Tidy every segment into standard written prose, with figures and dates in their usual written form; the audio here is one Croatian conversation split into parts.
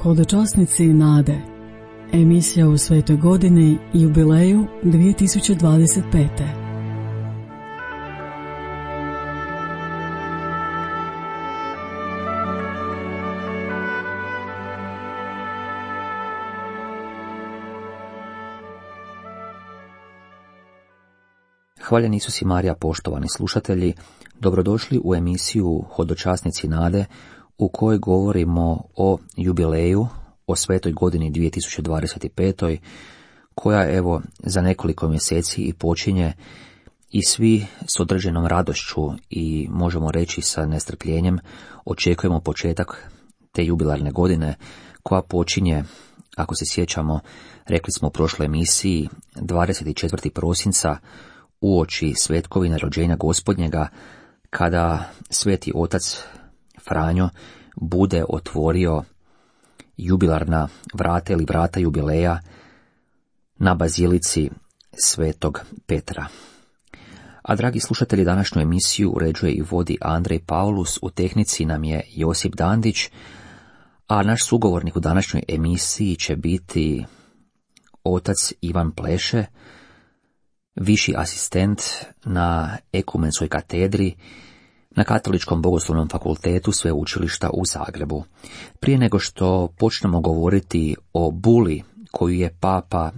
Hodočasnici nade. Emisija u svetoj godini jubileju 2025. Hvaljen Isus i Marija, poštovani slušatelji, dobrodošli u emisiju Hodočasnici nade, u kojoj govorimo o jubileju, o svetoj godini 2025. koja evo za nekoliko mjeseci i počinje, i svi s određenom radošću i možemo reći sa nestrpljenjem očekujemo početak te jubilarne godine koja počinje, ako se sjećamo, rekli smo u prošloj emisiji, 24. prosinca uoči svetkovine rođenja Gospodnjega, kada sveti otac Franjo bude otvorio jubilarna vrata ili vrata jubileja na bazilici svetog Petra. A dragi slušatelji, današnju emisiju uređuje i vodi Andrej Paulus, u tehnici nam je Josip Dandić, a naš sugovornik u današnjoj emisiji će biti otac Ivan Pleše, viši asistent na Ekumenskoj katedri na Katoličkom bogoslovnom fakultetu Sveučilišta u Zagrebu. Prije nego što počnemo govoriti o buli koju je Papa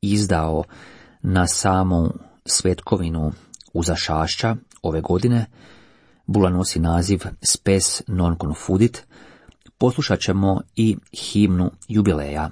izdao na samu svetkovinu Uzašašća ove godine, bula nosi naziv Spes non confudit, poslušat ćemo i himnu jubileja.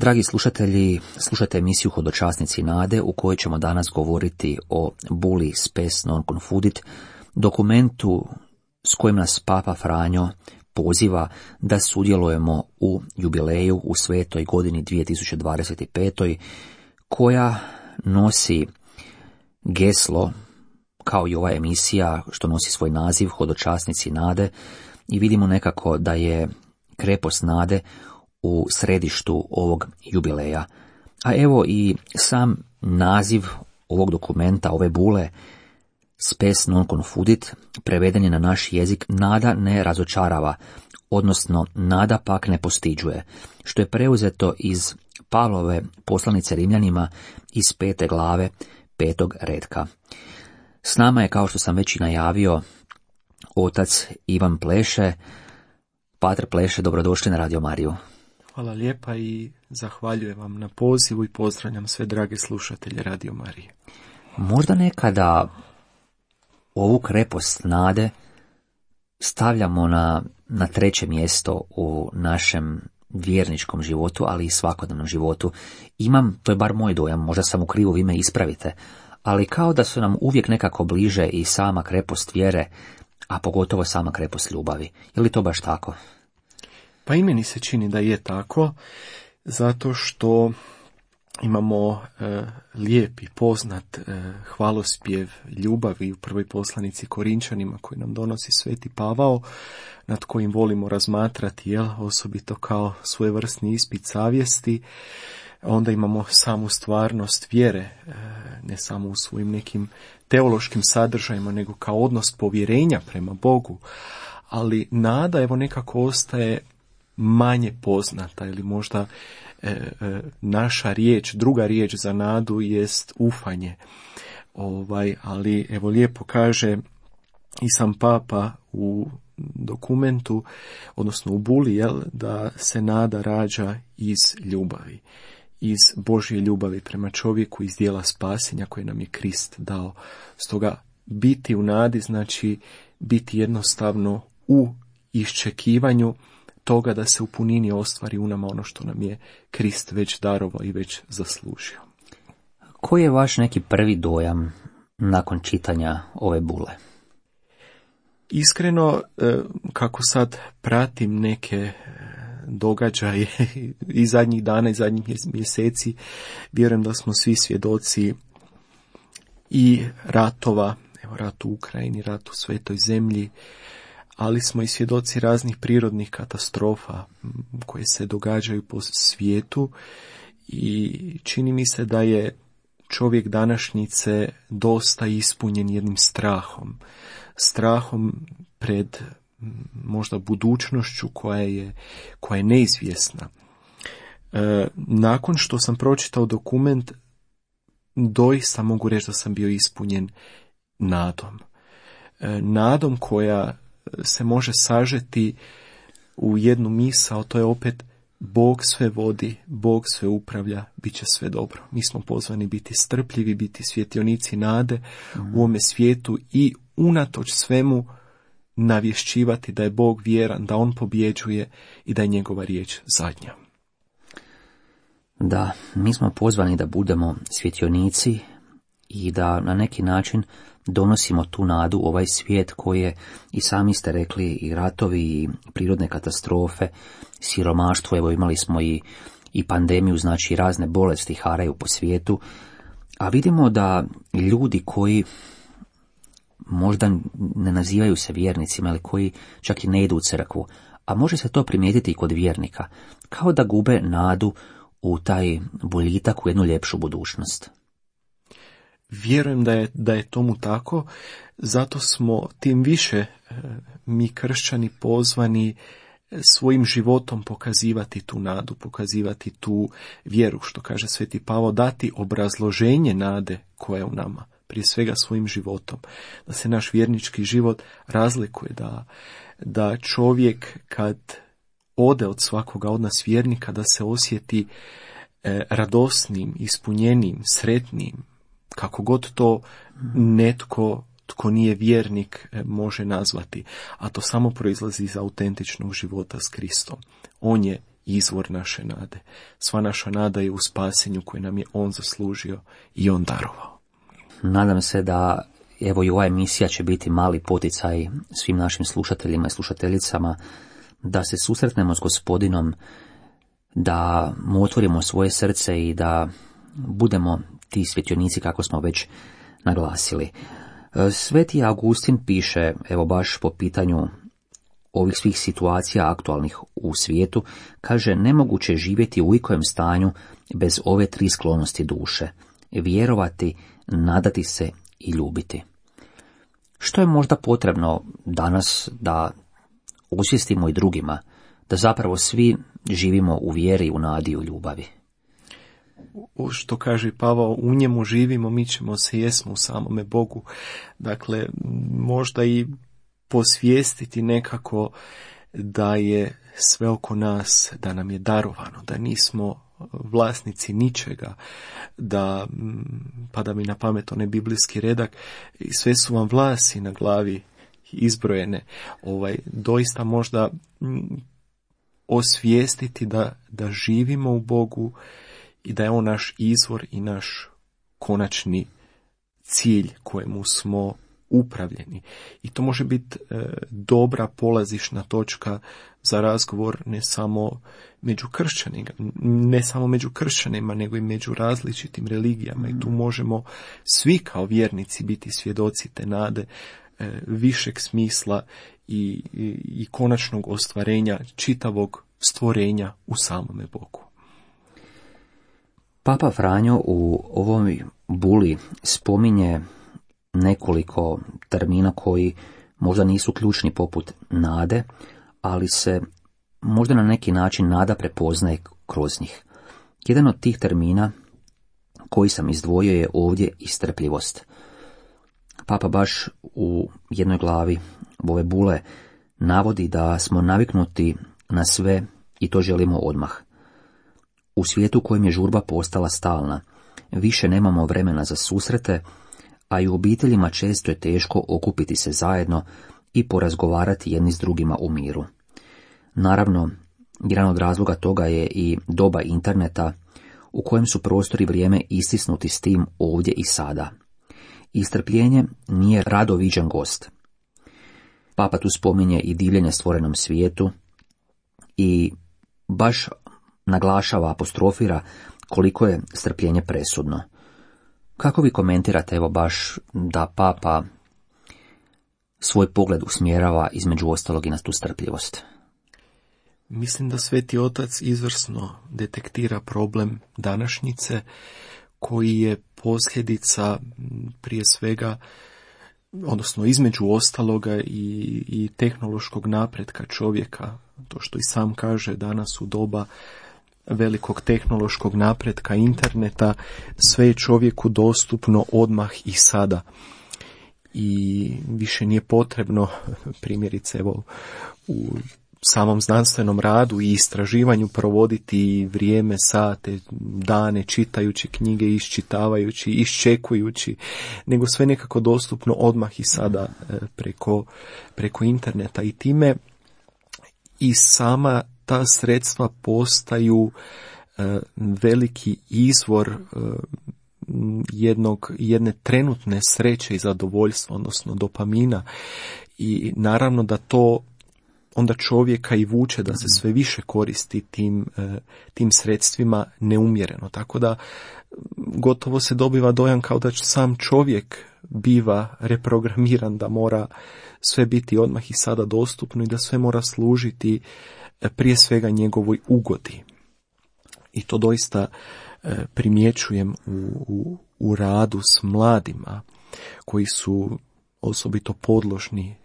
Dragi slušatelji, slušate emisiju Hodočasnici nade u kojoj ćemo danas govoriti o Bulli Spes non confudit, dokumentu s kojim nas Papa Franjo poziva da sudjelujemo u jubileju u svetoj godini 2025. koja nosi geslo, kao i ova emisija što nosi svoj naziv Hodočasnici nade, i vidimo nekako da je krepost nade u središtu ovog jubileja. A evo i sam naziv ovog dokumenta, ove bule, Spes non confudit, preveden je na naš jezik nada ne razočarava, odnosno nada pak ne postiđuje, što je preuzeto iz Pavlove poslanice Rimljanima iz 5. glave 5. redka. S nama je, kao što sam već i najavio, otac Ivan Pleše. Pater Pleše, dobrodošli na Radio Mariju. Hvala lijepa i zahvaljujem vam na pozivu i pozdravljam sve drage slušatelje Radio Marije. Možda nekada ovu krepost nade stavljamo na treće mjesto u našem vjerničkom životu, ali i svakodnevnom životu. To je bar moj dojam, možda sam u krivu, vi me ispravite, ali kao da su nam uvijek nekako bliže i sama krepost vjere, a pogotovo sama krepost ljubavi. Je li to baš tako? Pa i meni se čini da je tako, zato što imamo lijep i poznat hvalospjev ljubavi u prvoj poslanici Korinčanima koji nam donosi Sveti Pavao, nad kojim volimo razmatrati, osobito kao svojevrsni ispit savjesti. Onda imamo samu stvarnost vjere, ne samo u svojim nekim teološkim sadržajima, nego kao odnos povjerenja prema Bogu. Ali nada evo nekako ostaje manje poznata, ili možda naša riječ, druga riječ za nadu jest ufanje. Ali evo lijepo kaže i sam Papa u dokumentu, odnosno u Buli, da se nada rađa iz ljubavi. Iz Božje ljubavi prema čovjeku, iz dijela spasenja koje nam je Krist dao. Stoga biti u nadi znači biti jednostavno u iščekivanju toga da se u punini ostvari u nama ono što nam je Krist već darovao i već zaslužio. Koji je vaš neki prvi dojam nakon čitanja ove bule? Iskreno, kako sad pratim neke događaje i zadnjih dana i zadnjih mjeseci, vjerujem da smo svi svjedoci i ratova, evo rat u Ukrajini, rat u Svetoj zemlji, ali smo i svjedoci raznih prirodnih katastrofa koje se događaju po svijetu i čini mi se da je čovjek današnjice dosta ispunjen jednim strahom pred možda budućnošću koja je neizvjesna. Nakon što sam pročitao dokument, doista mogu reći da sam bio ispunjen nadom koja se može sažeti u jednu misao, to je opet Bog sve vodi, Bog sve upravlja, bit će sve dobro. Mi smo pozvani biti strpljivi, biti svjetionici nade u ovome svijetu i unatoč svemu navješćivati da je Bog vjeran, da on pobjeđuje i da je njegova riječ zadnja. Da, mi smo pozvani da budemo svjetionici i da na neki način donosimo tu nadu u ovaj svijet koji je, i sami ste rekli, i ratovi, i prirodne katastrofe, siromaštvo, evo imali smo i pandemiju, znači razne bolesti haraju po svijetu, a vidimo da ljudi koji možda ne nazivaju se vjernicima, ali koji čak i ne idu u crkvu, a može se to primijetiti i kod vjernika, kao da gube nadu u taj boljitak, u jednu ljepšu budućnost. Vjerujem da je tomu tako, zato smo tim više mi kršćani pozvani svojim životom pokazivati tu nadu, pokazivati tu vjeru, što kaže Sveti Pavao, dati obrazloženje nade koja je u nama, prije svega svojim životom, da se naš vjernički život razlikuje, da čovjek kad ode od svakoga od nas vjernika, da se osjeti radosnim, ispunjenim, sretnim, kako god to netko tko nije vjernik može nazvati, a to samo proizlazi iz autentičnog života s Kristom. On je izvor naše nade. Sva naša nada je u spasenju koje nam je on zaslužio i on darovao. Nadam se da evo i ova emisija će biti mali poticaj svim našim slušateljima i slušateljicama da se susretnemo s Gospodinom, da mu otvorimo svoje srce i da budemo ti svjetionici kako smo već naglasili. Sveti Augustin piše, evo baš po pitanju ovih svih situacija aktualnih u svijetu, kaže: nemoguće je živjeti u ikojem stanju bez ove tri sklonosti duše: vjerovati, nadati se i ljubiti. Što je možda potrebno danas da osvijestimo i drugima, da zapravo svi živimo u vjeri, u nadi i u ljubavi? Što kaže Pavao, u njemu živimo, mi ćemo se, jesmo u samome Bogu. Dakle, možda i posvijestiti nekako da je sve oko nas, da nam je darovano, da nismo vlasnici ničega, da, pada mi na pamet onaj biblijski redak, sve su vam vlasi na glavi izbrojene. Doista možda osvijestiti da živimo u Bogu i da je on naš izvor i naš konačni cilj kojemu smo upravljeni. I to može biti dobra polazišna točka za razgovor ne samo među kršćanima, nego i među različitim religijama. I tu možemo svi kao vjernici biti svjedoci te nade, višeg smisla i konačnog ostvarenja čitavog stvorenja u samome Bogu. Papa Franjo u ovoj buli spominje nekoliko termina koji možda nisu ključni poput nade, ali se možda na neki način nada prepoznaje kroz njih. Jedan od tih termina koji sam izdvojio je ovdje i strpljivost. Papa baš u jednoj glavi ove bule navodi da smo naviknuti na sve i to želimo odmah. U svijetu u kojem je žurba postala stalna, više nemamo vremena za susrete, a i u obiteljima često je teško okupiti se zajedno i porazgovarati jedni s drugima u miru. Naravno, jedan od razloga toga je i doba interneta u kojem su prostor i vrijeme istisnuti s tim ovdje i sada. I strpljenje nije rado viđen gost. Papa tu spominje i divljenje stvorenom svijetu i baš naglašava, apostrofira koliko je strpljenje presudno. Kako vi komentirate evo baš da Papa svoj pogled usmjerava između ostalog i na tu strpljivost? Mislim da Sveti Otac izvrsno detektira problem današnjice koji je posljedica prije svega, odnosno između ostaloga i tehnološkog napretka čovjeka. To što i sam kaže, danas u doba velikog tehnološkog napretka interneta sve je čovjeku dostupno odmah i sada. I više nije potrebno, primjerice evo, u samom znanstvenom radu i istraživanju provoditi vrijeme, sate, dane, čitajući knjige, iščitavajući, iščekujući, nego sve nekako dostupno odmah i sada preko interneta. I time i sama ta sredstva postaju veliki izvor jedne trenutne sreće i zadovoljstva, odnosno dopamina. I naravno da to onda čovjeka i vuče da se sve više koristi tim sredstvima neumjereno. Tako da gotovo se dobiva dojam kao da sam čovjek biva reprogramiran da mora sve biti odmah i sada dostupno i da sve mora služiti prije svega njegovoj ugodi. I to doista primjećujem u radu s mladima koji su osobito podložni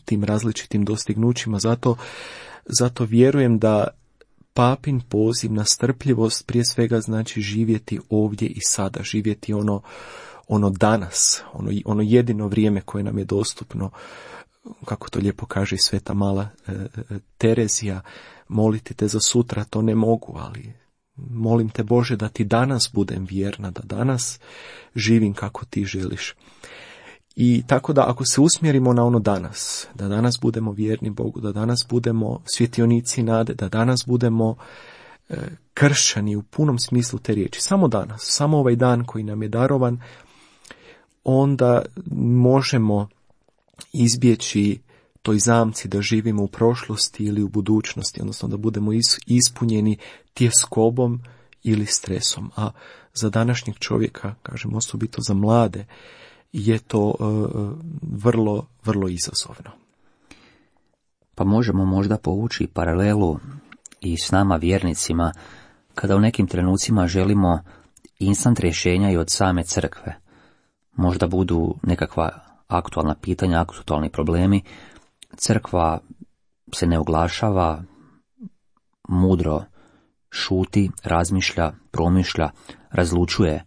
tim različitim dostignućima. Zato vjerujem da Papin poziv na strpljivost prije svega znači živjeti ovdje i sada, živjeti ono danas, ono jedino vrijeme koje nam je dostupno. Kako to lijepo kaže i sveta mala Terezija, moliti te za sutra, to ne mogu, ali molim te Bože da ti danas budem vjerna, da danas živim kako ti želiš. I tako da ako se usmjerimo na ono danas, da danas budemo vjerni Bogu, da danas budemo svjetionici nade, da danas budemo kršćani u punom smislu te riječi, samo danas, samo ovaj dan koji nam je darovan, onda možemo izbjeći toj zamci da živimo u prošlosti ili u budućnosti, odnosno da budemo ispunjeni tjeskobom ili stresom. A za današnjeg čovjeka, kažem osobito za mlade, je to vrlo, vrlo izazovno. Pa možemo možda povući paralelu i s nama vjernicima, kada u nekim trenucima želimo instant rješenja i od same crkve. Možda budu nekakva aktualna pitanja, aktualni problemi. Crkva se ne oglašava, mudro šuti, razmišlja, promišlja, razlučuje.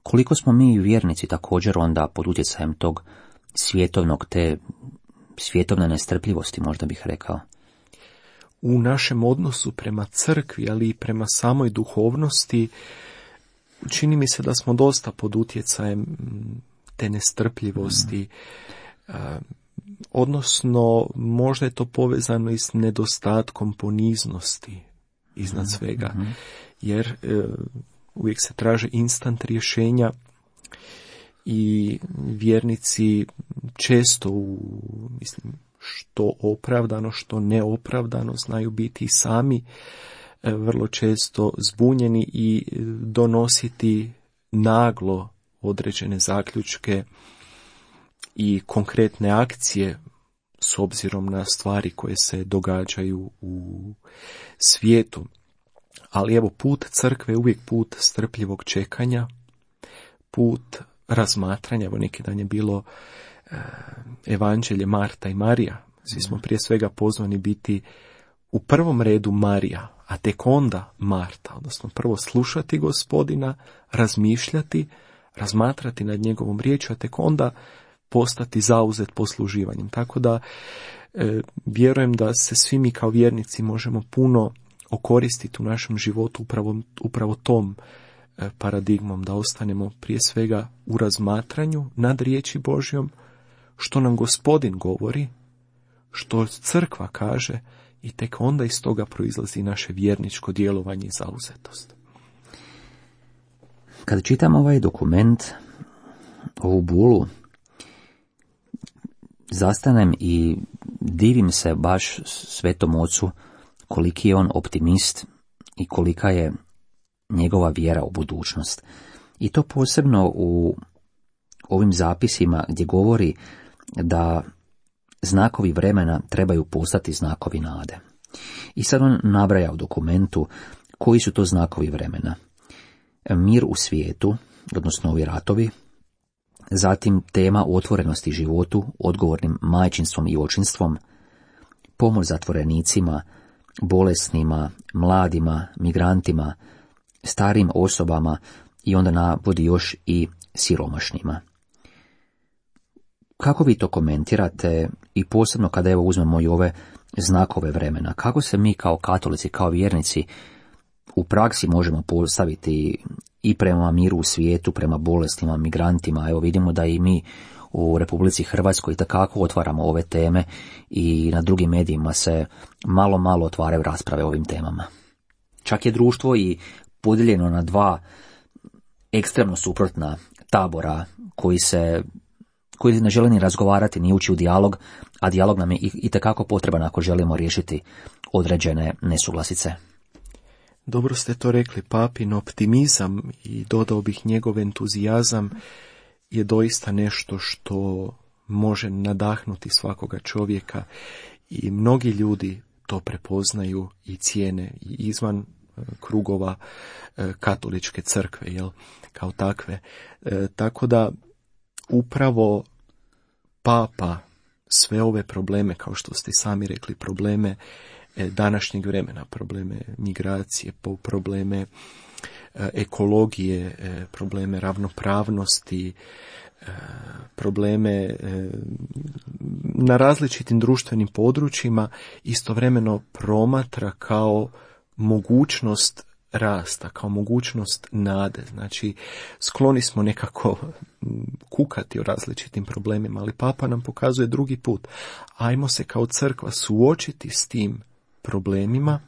Koliko smo mi vjernici također onda pod utjecajem tog te svjetovne nestrpljivosti, možda bih rekao? U našem odnosu prema crkvi, ali i prema samoj duhovnosti, čini mi se da smo dosta pod utjecajem te nestrpljivosti. Odnosno, možda je to povezano i s nedostatkom poniznosti iznad svega. Jer uvijek se traže instant rješenja i vjernici često što opravdano, što neopravdano znaju biti sami vrlo često zbunjeni i donositi naglo određene zaključke i konkretne akcije s obzirom na stvari koje se događaju u svijetu. Ali evo, put crkve je uvijek put strpljivog čekanja, put razmatranja. Evo, neki dan je bilo evanđelje Marta i Marija. Svi smo prije svega pozvani biti u prvom redu Marija, a tek onda Marta. Odnosno prvo slušati Gospodina, razmišljati, razmatrati nad njegovom riječju, a tek onda postati zauzet posluživanjem. Tako da vjerujem da se svi mi kao vjernici možemo puno okoristiti u našem životu upravo tom paradigmom, da ostanemo prije svega u razmatranju nad riječi Božjom, što nam Gospodin govori, što crkva kaže, i tek onda iz toga proizlazi naše vjerničko djelovanje i zauzetost. Kad čitam ovaj dokument, ovu bulu, zastanem i divim se baš Svetom Ocu koliki je on optimist i kolika je njegova vjera u budućnost. I to posebno u ovim zapisima gdje govori da znakovi vremena trebaju postati znakovi nade. I sad on nabraja u dokumentu koji su to znakovi vremena. Mir u svijetu, odnosno ovi ratovi, zatim tema otvorenosti životu, odgovornim majčinstvom i očinstvom, pomoć zatvorenicima, bolesnima, mladima, migrantima, starim osobama i onda navodi još i siromašnima. Kako vi to komentirate i posebno kada evo uzmemo i ove znakove vremena? Kako se mi kao katolici, kao vjernici u praksi možemo postaviti i prema miru u svijetu, prema bolestima, migrantima? Evo vidimo da i mi u Republici Hrvatskoj itekako otvaramo ove teme i na drugim medijima se malo otvaraju rasprave o ovim temama. Čak je društvo i podijeljeno na dva ekstremno suprotna tabora koji ne žele ni razgovarati, ni ući u dijalog, a dijalog nam je itekako potreban ako želimo riješiti određene nesuglasice. Dobro ste to rekli, papin optimizam i dodao bih njegov entuzijazam je doista nešto što može nadahnuti svakoga čovjeka i mnogi ljudi to prepoznaju i cijene i izvan krugova katoličke crkve, kao takve. Tako da upravo Papa sve ove probleme, kao što ste sami rekli, probleme današnjeg vremena, probleme migracije, probleme ekologije, probleme ravnopravnosti, probleme na različitim društvenim područjima istovremeno promatra kao mogućnost rasta, kao mogućnost nade. Znači, skloni smo nekako kukati o različitim problemima, ali Papa nam pokazuje drugi put. Ajmo se kao crkva suočiti s tim problemima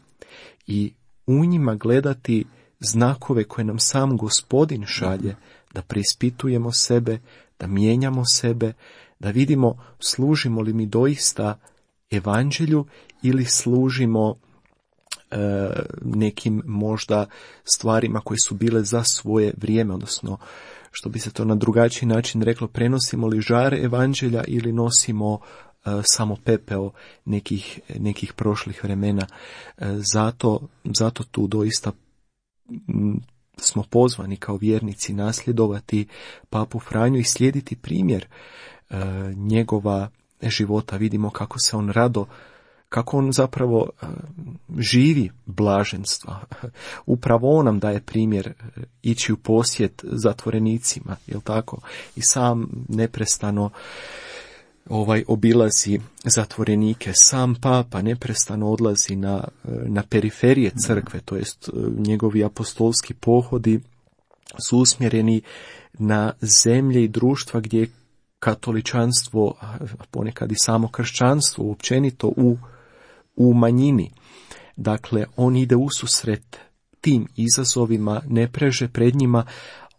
i u njima gledati znakove koje nam sam Gospodin šalje, da preispitujemo sebe, da mijenjamo sebe, da vidimo služimo li mi doista evanđelju ili služimo nekim možda stvarima koje su bile za svoje vrijeme, odnosno što bi se to na drugačiji način reklo, prenosimo li žare evanđelja ili nosimo samo pepeo nekih prošlih vremena. Zato tu doista smo pozvani kao vjernici nasljedovati Papu Franju i slijediti primjer njegova života. Vidimo kako se on rado, kako on zapravo živi blaženstva. Upravo on nam daje primjer ići u posjet zatvorenicima, jel tako? I sam neprestano obilazi zatvorenike. Sam Papa neprestano odlazi na periferije crkve, to jest njegovi apostolski pohodi su usmjereni na zemlje i društva gdje je katoličanstvo, ponekad i samo kršćanstvo općenito u manjini. Dakle, on ide ususret tim izazovima, ne preže pred njima,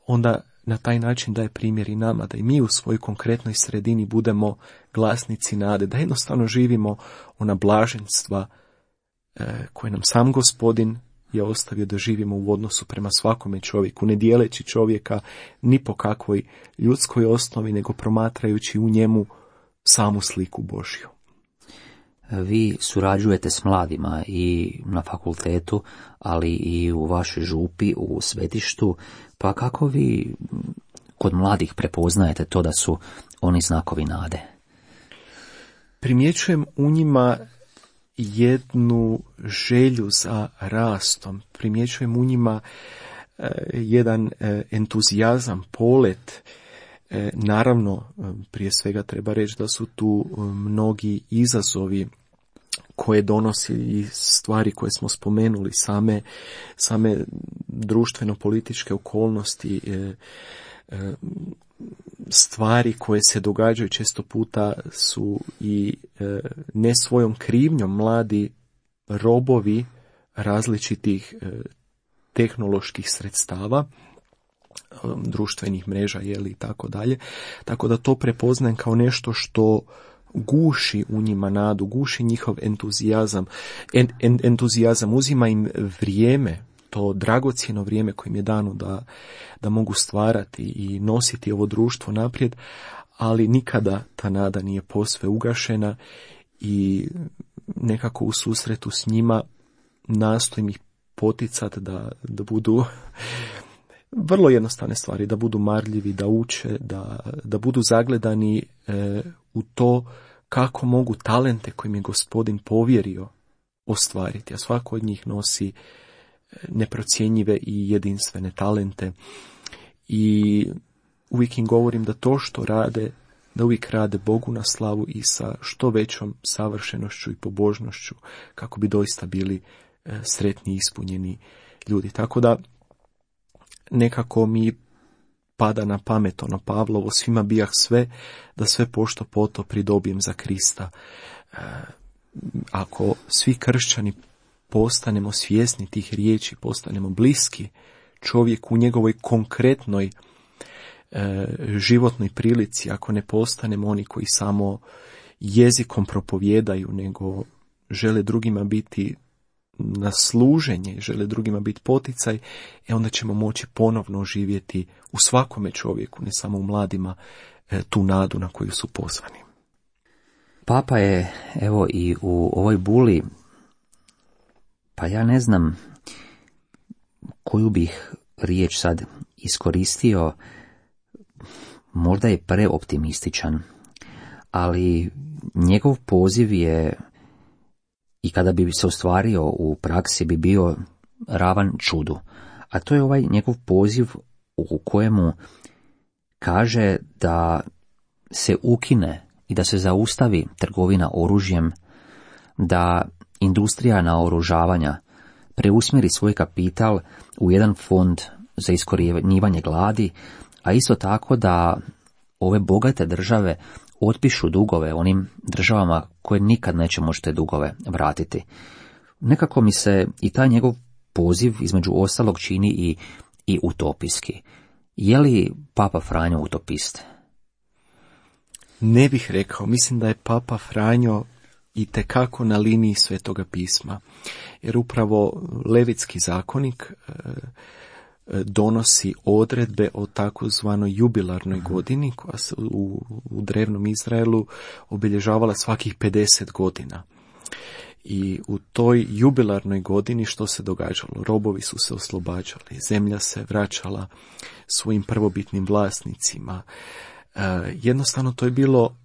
onda na taj način daje primjer i nama, da i mi u svojoj konkretnoj sredini budemo glasnici nade, da jednostavno živimo ona blaženstva koje nam sam Gospodin je ostavio da živimo u odnosu prema svakome čovjeku, ne dijeleći čovjeka ni po kakvoj ljudskoj osnovi, nego promatrajući u njemu samu sliku Božju. Vi surađujete s mladima i na fakultetu, ali i u vašoj župi, u svetištu, pa kako vi kod mladih prepoznajete to da su oni znakovi nade? Primjećujem u njima jednu želju za rastom, primjećujem u njima jedan entuzijazam, polet. Naravno, prije svega treba reći da su tu mnogi izazovi koje donosi i stvari koje smo spomenuli, same društveno-političke okolnosti, stvari koje se događaju često puta su i ne svojom krivnjom mladi robovi različitih tehnoloških sredstava, društvenih mreža i tako dalje. Tako da to prepoznajem kao nešto što guši u njima nadu, guši njihov entuzijazam. Entuzijazam uzima im vrijeme, to dragocjeno vrijeme kojim je dano da mogu stvarati i nositi ovo društvo naprijed, ali nikada ta nada nije posve ugašena i nekako u susretu s njima nastojim ih poticati da budu vrlo jednostavne stvari, da budu marljivi, da uče, da budu zagledani u to kako mogu talente koje mi je Gospodin povjerio ostvariti, a svako od njih nosi neprocjenjive i jedinstvene talente. I uvijek im govorim da to što rade, da uvijek rade Bogu na slavu i sa što većom savršenošću i pobožnošću, kako bi doista bili sretni i ispunjeni ljudi. Tako da nekako mi pada na pamet ono Pavlovo, svima bijah sve, da sve pošto poto pridobijem za Krista. Ako svi kršćani postanemo svjesni tih riječi, postanemo bliski čovjeku u njegovoj konkretnoj životnoj prilici, ako ne postanemo oni koji samo jezikom propovijedaju, nego žele drugima biti na služenje, žele drugima biti poticaj, onda ćemo moći ponovno živjeti u svakome čovjeku, ne samo u mladima, tu nadu na koju su pozvani. Papa je, evo i u ovoj buli, pa ja ne znam koju bih riječ sad iskoristio, možda je preoptimističan, ali njegov poziv je, i kada bi se ostvario u praksi, bi bio ravan čudu. A to je ovaj njegov poziv u kojemu kaže da se ukine i da se zaustavi trgovina oružjem, da industrija naoružavanja preusmjeri svoj kapital u jedan fond za iskorjenjivanje gladi, a isto tako da ove bogate države otpišu dugove onim državama koje nikad neće moći te dugove vratiti. Nekako mi se i taj njegov poziv između ostalog čini i utopijski. Je li Papa Franjo utopist? Ne bih rekao. Mislim da je Papa Franjo itekako na liniji Svetoga pisma. Jer upravo Levitski zakonik donosi odredbe o takozvanoj jubilarnoj godini koja se u drevnom Izraelu obilježavala svakih 50 godina. I u toj jubilarnoj godini što se događalo? Robovi su se oslobađali, zemlja se vraćala svojim prvobitnim vlasnicima. Jednostavno to je bilo,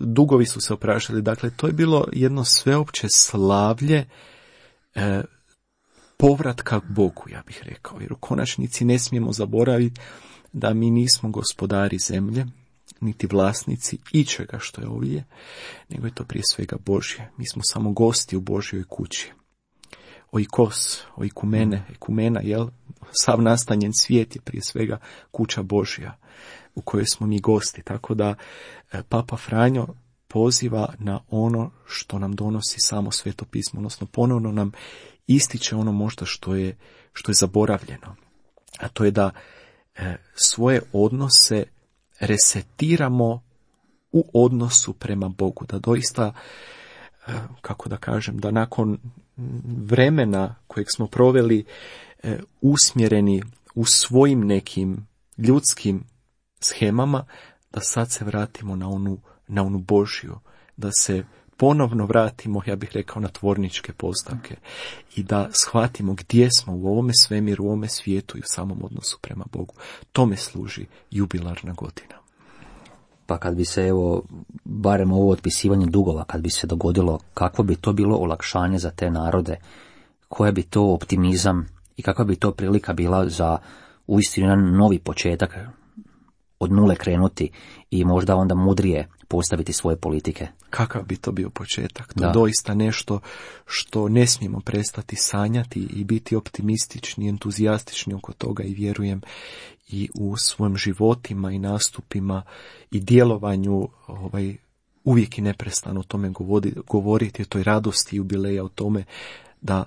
dugovi su se opraštali, dakle to je bilo jedno sveopće slavlje povratka k Bogu, ja bih rekao, jer u konačnici ne smijemo zaboraviti da mi nismo gospodari zemlje, niti vlasnici ičega što je ovdje, nego je to prije svega Božje. Mi smo samo gosti u Božjoj kući. Oikos, ekumena, jel? Sav nastanjen svijet je prije svega kuća Božja u kojoj smo mi gosti. Tako da Papa Franjo poziva na ono što nam donosi samo Sveto pismo, odnosno ponovno nam ističe ono možda što je zaboravljeno. A to je da svoje odnose resetiramo u odnosu prema Bogu, da doista, kako da kažem, da nakon vremena kojeg smo proveli usmjereni u svojim nekim ljudskim shemama, da sad se vratimo na onu Božju, da se ponovno vratimo, ja bih rekao, na tvorničke postavke i da shvatimo gdje smo u ovome svemiru, u ovome svijetu i u samom odnosu prema Bogu. Tome služi jubilarna godina. Pa kad bi se, barem ovo otpisivanje dugova, kad bi se dogodilo, kakvo bi to bilo olakšanje za te narode, koja bi to optimizam i kakva bi to prilika bila za uistinu jedan novi početak, od nule krenuti i možda onda mudrije postaviti svoje politike. Kakav bi to bio početak? To je doista nešto što ne smijemo prestati sanjati i biti optimistični, entuzijastični oko toga i vjerujem i u svojim životima i nastupima i djelovanju uvijek i neprestano o tome govoriti, o toj radosti jubileja, o tome da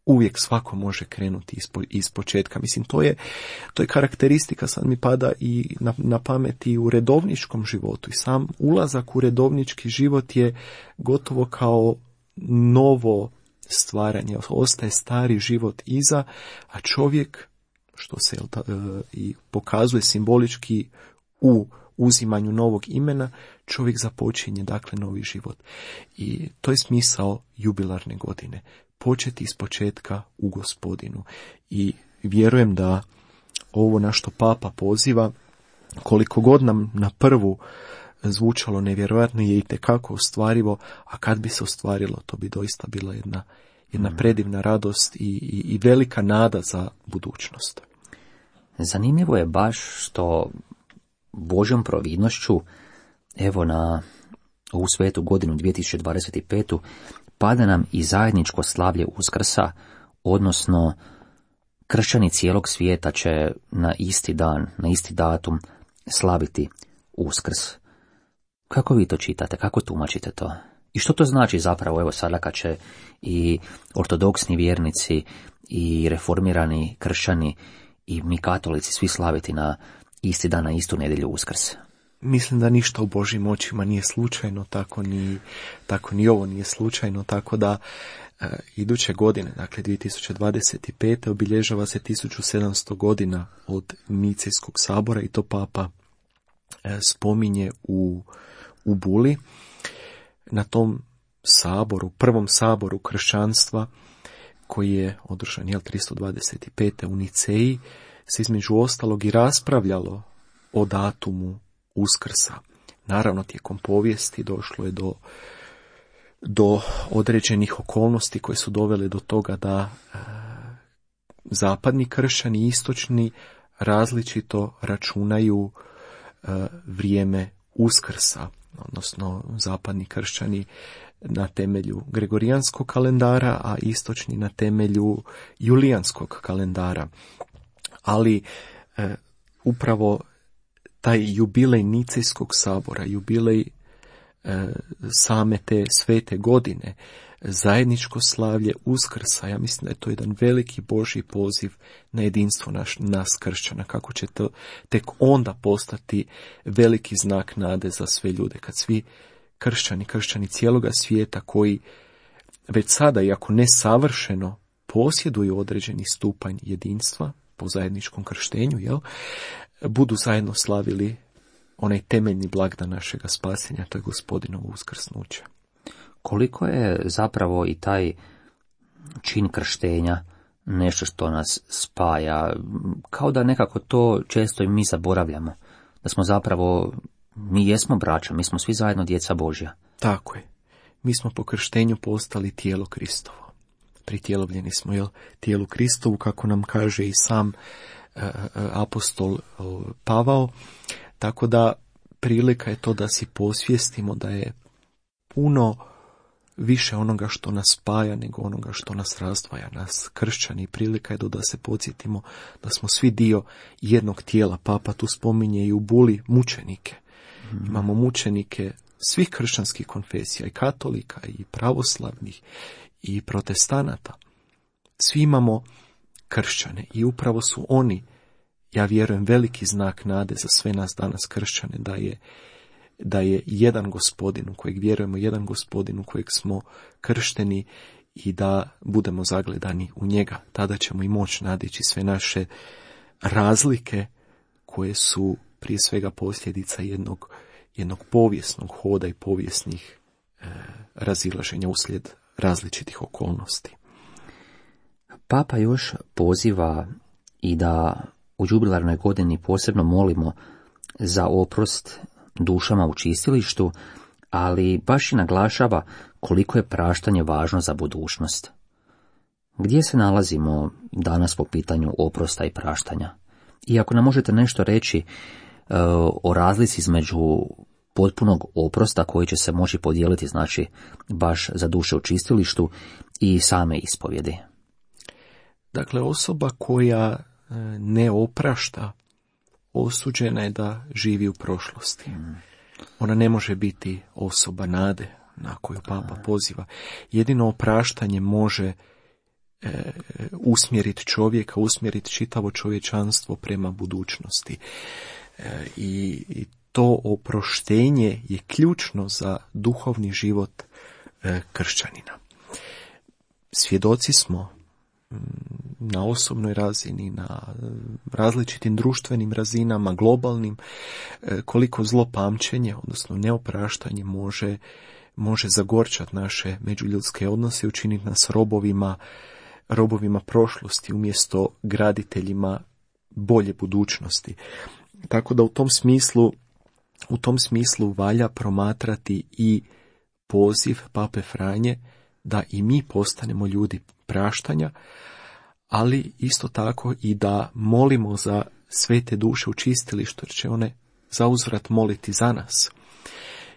uvijek svako može krenuti iz početka. Mislim, to je karakteristika, sad mi pada i na pamet i u redovničkom životu. I sam ulazak u redovnički život je gotovo kao novo stvaranje. Ostaje stari život iza, a čovjek, što se i pokazuje simbolički u uzimanju novog imena, čovjek započinje dakle novi život. I to je smisao jubilarne godine. Početi iz početka u Gospodinu. I vjerujem da ovo na što Papa poziva, koliko god nam na prvu zvučalo nevjerojatno, je itekako ostvarivo, a kad bi se ostvarilo, to bi doista bila jedna predivna radost i velika nada za budućnost. Zanimljivo je baš što Božjom providnošću, evo na ovu svetu godinu 2025. pada nam i zajedničko slavlje Uskrsa, odnosno kršćani cijelog svijeta će na isti dan, na isti datum slaviti Uskrs. Kako vi to čitate, kako tumačite to? I što to znači zapravo, evo sada kad će i ortodoksni vjernici i reformirani kršćani i mi katolici svi slaviti na isti dan, na istu nedjelju Uskrs? Mislim da ništa u Božjim očima nije slučajno, tako ni ovo nije slučajno, tako da iduće godine, dakle 2025. obilježava se 1700 godina od Nicejskog sabora i to Papa spominje u Buli. Na tom saboru, prvom saboru kršćanstva koji je održan 325. u Niceji, se između ostalog i raspravljalo o datumu Uskrsa. Naravno, tijekom povijesti došlo je do određenih okolnosti koje su dovele do toga da zapadni kršćani i istočni različito računaju vrijeme Uskrsa, odnosno zapadni kršćani na temelju gregorijanskog kalendara, a istočni na temelju julijanskog kalendara. Ali upravo taj jubilej Nicejskog sabora, jubilej same te svete godine, zajedničko slavlje Uskrsa, ja mislim da je to jedan veliki Božji poziv na jedinstvo nas kršćana, kako će to tek onda postati veliki znak nade za sve ljude, kad svi kršćani cijeloga svijeta koji već sada, iako ne savršeno, posjeduju određeni stupanj jedinstva po zajedničkom krštenju, budu zajedno slavili onaj temeljni blagdan našega spasenja, to je Gospodinovo uskrsnuće. Koliko je zapravo i taj čin krštenja nešto što nas spaja, kao da nekako to često i mi zaboravljamo, da smo zapravo, mi jesmo braća, mi smo svi zajedno djeca Božja. Tako je. Mi smo po krštenju postali tijelo Kristovo. Pritjelovljeni smo tijelu Kristovu, kako nam kaže i sam apostol Pavao, tako da prilika je to da si posvijestimo da je puno više onoga što nas spaja nego onoga što nas razdvaja, nas kršćani. Prilika je da se podsjetimo da smo svi dio jednog tijela. Papa tu spominje i u Buli mučenike. Imamo mučenike svih kršćanskih konfesija, i katolika, i pravoslavnih, i protestanata. Svi imamo kršćane i upravo su oni, ja vjerujem, veliki znak nade za sve nas danas kršćane, da je jedan Gospodin u kojeg vjerujemo, jedan Gospodin u kojeg smo kršteni i da budemo zagledani u njega. Tada ćemo i moći nadići sve naše razlike koje su prije svega posljedica jednog povijesnog hoda i povijesnih razilaženja uslijed različitih okolnosti. Papa još poziva i da u jubilarnoj godini posebno molimo za oprost dušama u čistilištu, ali baš i naglašava koliko je praštanje važno za budućnost. Gdje se nalazimo danas po pitanju oprosta i praštanja? I ako nam možete nešto reći o razlici između potpunog oprosta koji će se moći podijeliti, znači baš za duše u čistilištu, i same ispovjedi. Dakle, osoba koja ne oprašta osuđena je da živi u prošlosti. Ona ne može biti osoba nade na koju Papa poziva. Jedino opraštanje može usmjeriti čovjeka, usmjeriti čitavo čovječanstvo prema budućnosti. I to oproštenje je ključno za duhovni život kršćanina. Svjedoci smo na osobnoj razini, na različitim društvenim razinama, globalnim, koliko zlopamćenje, odnosno neopraštanje može zagorčati naše međuljudske odnose i učiniti nas robovima prošlosti umjesto graditeljima bolje budućnosti. Tako da u tom smislu valja promatrati i poziv Pape Franje da i mi postanemo ljudi praštanja, ali isto tako i da molimo za svete duše u čistilištu, jer će one zauzvrat moliti za nas.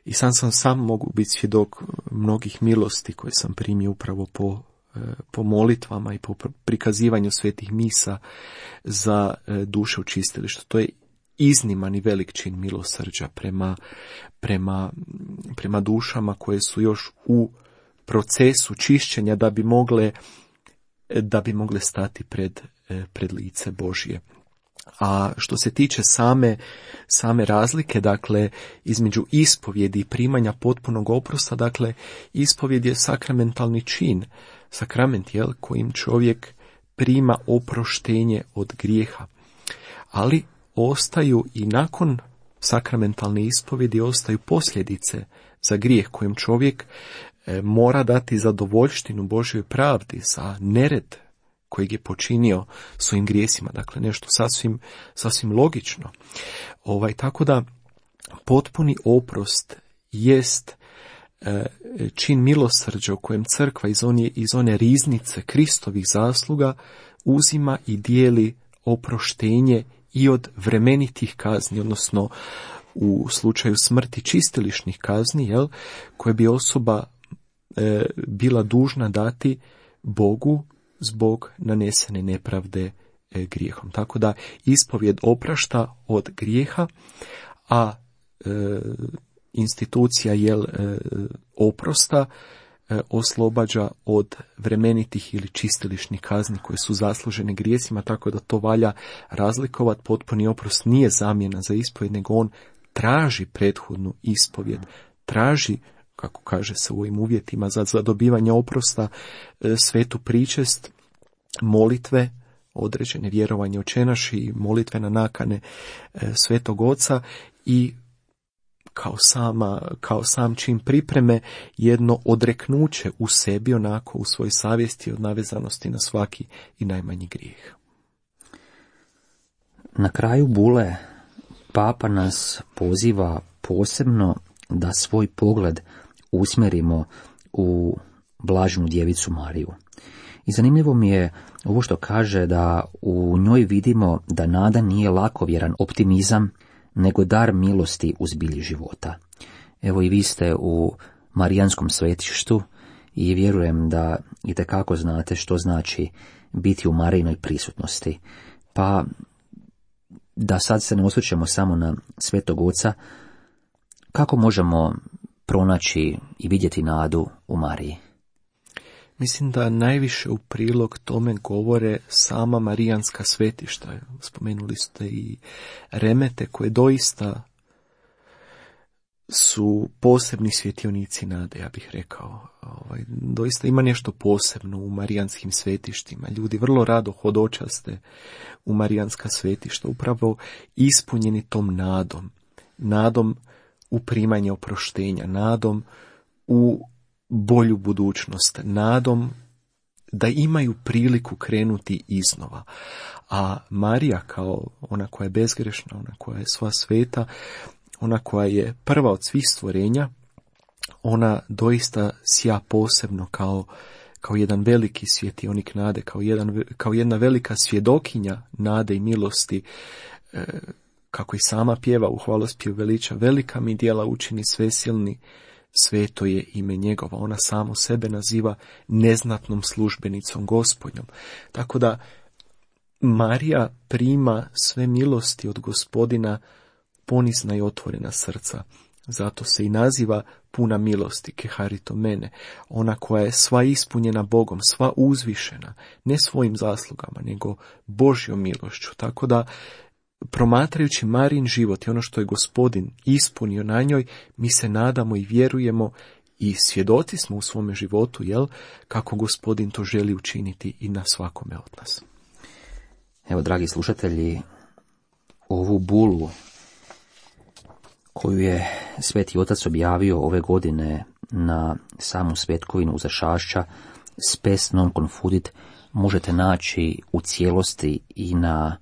I sam mogu biti svjedok mnogih milosti koje sam primio upravo po molitvama i po prikazivanju svetih misa za duše u čistilištu. To je izniman i velik čin milosrđa prema dušama koje su još u procesu čišćenja da bi mogle stati pred lice Božje. A što se tiče same razlike, dakle, između ispovjedi i primanja potpunog oprosta, dakle, ispovjed je sakramentalni čin, sakrament, kojim čovjek prima oproštenje od grijeha. Ali ostaju i nakon sakramentalne ispovjedi, ostaju posljedice za grijeh kojim čovjek mora dati zadovoljštinu Božjoj pravdi za nered kojeg je počinio svojim grijesima. Dakle, nešto sasvim logično. Tako da potpuni oprost jest čin milosrđa u kojem crkva iz one riznice Kristovih zasluga uzima i dijeli oproštenje i od vremenitih kazni, odnosno u slučaju smrti čistilišnih kazni, koje bi osoba bila dužna dati Bogu zbog nanesene nepravde grijehom. Tako da ispovjed oprašta od grijeha, a institucija oprosta oslobađa od vremenitih ili čistilišnih kazni koje su zaslužene grijesima, tako da to valja razlikovati. Potpuni oprost nije zamjena za ispovjed, nego on traži prethodnu ispovjed, traži, kako kaže se u ovim uvjetima za dobivanje oprosta, svetu pričest, molitve, određene vjerovanje očenaš i molitve na nakane Svetog Oca i kao sam čin pripreme jedno odreknuće u sebi, onako u svojoj savjesti od navezanosti na svaki i najmanji grijeh. Na kraju bule Papa nas poziva posebno da svoj pogled usmjerimo u blaženu djevicu Mariju. I zanimljivo mi je ovo što kaže da u njoj vidimo da nada nije lakovjeran optimizam, nego dar milosti u zbilji života. Evo i vi ste u Marijanskom svetištu i vjerujem da itekako znate što znači biti u Marijinoj prisutnosti. Pa da sad se ne osvrćemo samo na Svetog Oca, kako možemo pronaći i vidjeti nadu u Mariji? Mislim da najviše u prilog tome govore sama Marijanska svetišta. Spomenuli ste i remete koje doista su posebni svjetionici nade, ja bih rekao. Doista ima nešto posebno u Marijanskim svetištima. Ljudi vrlo rado hodočaste u Marijanska svetišta, upravo ispunjeni tom nadom u primanje oproštenja, nadom u bolju budućnost, nadom da imaju priliku krenuti iznova. A Marija, kao ona koja je bezgrešna, ona koja je sva sveta, ona koja je prva od svih stvorenja, ona doista sja posebno kao jedan veliki svjetionik nade, kao jedna velika svjedokinja nade i milosti, kako i sama pjeva u hvalospjevu veliča, velika mi djela učini svesilni, sveto je ime njegova. Ona samu sebe naziva neznatnom službenicom Gospodnjom. Tako da Marija prima sve milosti od Gospodina ponizna i otvorena srca. Zato se i naziva puna milosti, keharito mene, ona koja je sva ispunjena Bogom, sva uzvišena, ne svojim zaslugama, nego Božjom milošću. Tako da, promatrajući Marijin život i ono što je Gospodin ispunio na njoj, mi se nadamo i vjerujemo i svjedoci smo u svome životu, kako Gospodin to želi učiniti i na svakome od nas. Evo, dragi slušatelji, ovu bulu koju je Sveti Otac objavio ove godine na samu svetkovinu Uzašašća, Spes non confudit, možete naći u cijelosti i na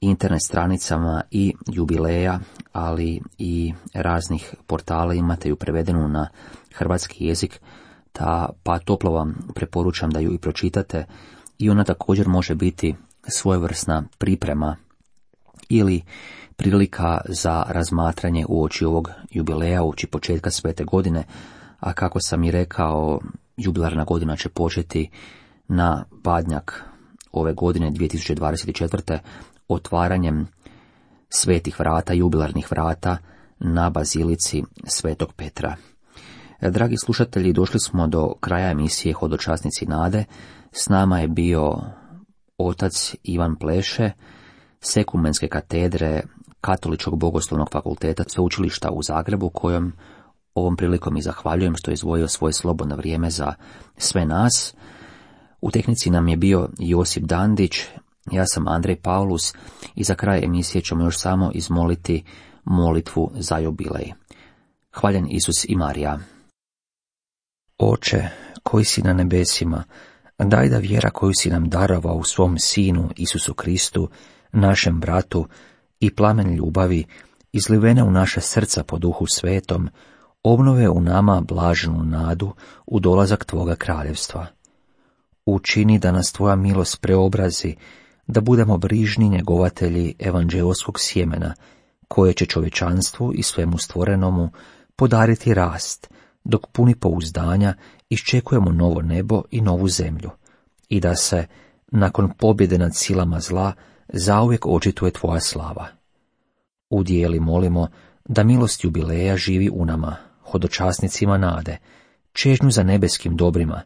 internet stranicama i jubileja, ali i raznih portala. Imate ju prevedenu na hrvatski jezik, pa toplo vam preporučam da ju i pročitate, i ona također može biti svojevrsna priprema ili prilika za razmatranje uoči ovog jubileja, uoči početka svete godine, a kako sam i rekao, jubilarna godina će početi na Badnjak ove godine 2024. otvaranjem svetih vrata, jubilarnih vrata na bazilici Svetog Petra. Dragi slušatelji, došli smo do kraja emisije Hodočasnici nade. S nama je bio otac Ivan Pleše, Sekumenske katedre Katoličkog bogoslovnog fakulteta Sveučilišta u Zagrebu, kojem ovom prilikom i zahvaljujem što je izdvojio svoje slobodno vrijeme za sve nas. U tehnici nam je bio Josip Dandić, ja sam Andrej Paulus i za kraj emisije ćemo još samo izmoliti molitvu za jubilej. Hvaljen Isus i Marija. Oče, koji si na nebesima, daj da vjera koju si nam darovao u svom Sinu Isusu Kristu, našem bratu, i plamen ljubavi, izlivene u naše srca po Duhu Svetom, obnove u nama blaženu nadu u dolazak Tvoga kraljevstva. Učini da nas Tvoja milost preobrazi, da budemo brižni njegovatelji evanđeoskog sjemena, koje će čovječanstvu i svemu stvorenomu podariti rast, dok puni pouzdanja iščekujemo novo nebo i novu zemlju, i da se, nakon pobjede nad silama zla, zauvijek očituje tvoja slava. Udijeli molimo da milost jubileja živi u nama, hodočasnicima nade, čežnju za nebeskim dobrima,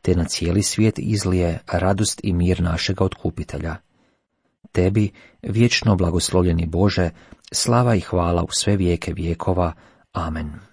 te na cijeli svijet izlije radost i mir našega otkupitelja. Tebi, vječno blagoslovljeni Bože, slava i hvala u sve vijeke vjekova. Amen.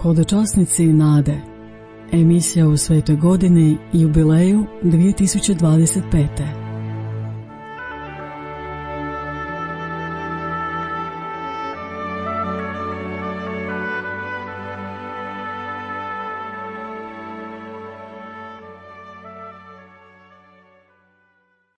Hodočasnici nade. Emisija u svetoj godini jubileju 2025.